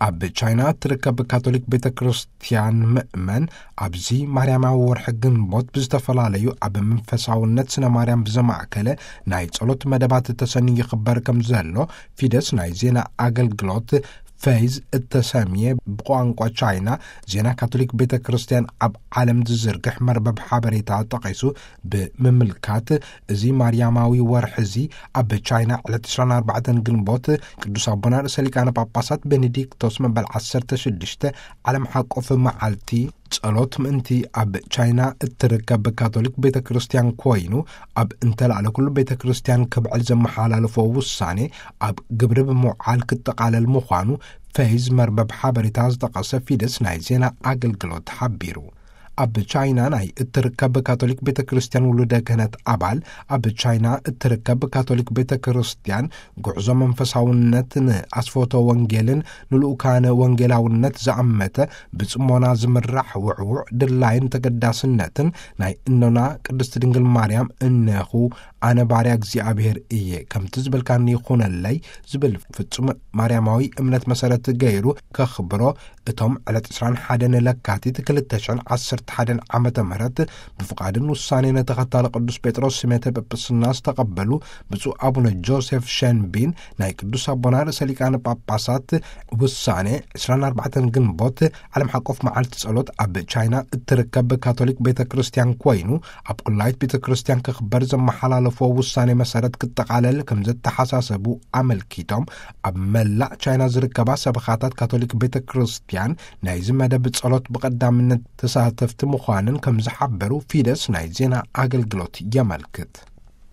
ኣብ ቻይና እትርከብ ካቶሊክ ቤተ ክርስቲያን ምእመን፣ ኣብዚ ማርያማዊ ወርሒ ግንቦት ብዝተፈላለዩ ኣብ መንፈሳውነት ስነ ማርያም ብዘማእከለ ናይ ጸሎት መደባት ተሰንዩ ይኽበር ከም ዘሎ ፊደስ ናይ ዜና ኣገልግሎት ፌዝ እተሰምየ ብቋንቋ ቻይና ዜና ካቶሊክ ቤተ ክርስቲያን ኣብ ዓለም ዝዝርግሕ መርበብ ሓበሬታ ጠቒሱ ብምምልካት፣ እዚ ማርያማዊ ወርሒ እዚ ኣብ ቻይና ዕለት ዕስራን ኣርባዕተን ግንቦት ቅዱስ ኣቦና ርእሰ ሊቃነ ጳጳሳት ቤኔዲክቶስ መበል ዓሰርተ ሽዱሽተ ዓለም ሓቆፍ መዓልቲ ጸሎት ምእንቲ ኣብ ቻይና እትርከብ ካቶሊክ ቤተ ክርስቲያን ኮይኑ፣ ኣብ እንተላዕለ ኩሉ ቤተ ክርስቲያን ክብዕል ዘመሓላለፎ ውሳኔ ኣብ ግብሪ ብምውዓል ክጠቓለል ምዃኑ ፌዝ መርበብ ሓበሬታ ዝጠቐሰ ፊደስ ናይ ዜና ኣገልግሎት ሓቢሩ። ኣብ ቻይና ናይ እትርከብ ካቶሊክ ቤተ ክርስቲያን ውሉደ ክህነት ኣባል፣ ኣብ ቻይና እትርከብ ካቶሊክ ቤተ ክርስቲያን ጉዕዞ መንፈሳውነት ንኣስፎቶ ወንጌልን ንልኡካነ ወንጌላውነት ዝኣመተ ብጽሞና ዝምራሕ ውዕዉዕ ድላይን ተገዳስነትን ናይ እኖና ቅድስት ድንግል ማርያም እነኹ ኣነ ባርያ እግዚኣብሔር እየ፣ ከምቲ ዝበልካኒ ይኹነለይ ዝብል ፍጹም ማርያማዊ እምነት መሰረት ገይሩ ከኽብሮ፣ እቶም ዕለት ዕስራን ሓደን ለካቲት ክልተ ሽሕን ዓሰርተ ሓደን ዓመተ ምህረት ብፍቓድን ውሳኔን ተኸታሊ ቅዱስ ጴጥሮስ ስሜተ ጵጵስና ዝተቐበሉ ብፁዕ ኣቡነ ጆሴፍ ሸንቢን ናይ ቅዱስ ኣቦና ርእሰ ሊቃነ ጳጳሳት ውሳኔ ዕስራን ኣርባዕተን ግንቦት ዓለም ሓቆፍ መዓልቲ ጸሎት ኣብ ቻይና እትርከብ ካቶሊክ ቤተ ክርስቲያን ኮይኑ፣ ኣብ ቁላይት ቤተ ክርስቲያን ክኽበር ዘመሓላለፎ ውሳኔ መሰረት ክጠቓለል ከም ዘተሓሳሰቡ ኣመልኪቶም፣ ኣብ መላእ ቻይና ዝርከባ ሰበኻታት ካቶሊክ ቤተ ክርስቲያን ናይዚ መደብ ጸሎት ብቐዳምነት ተሳተፍቲ ምዃንን ከም ዝሓበሩ ፊደስ ናይ ዜና ኣገልግሎት የመልክት።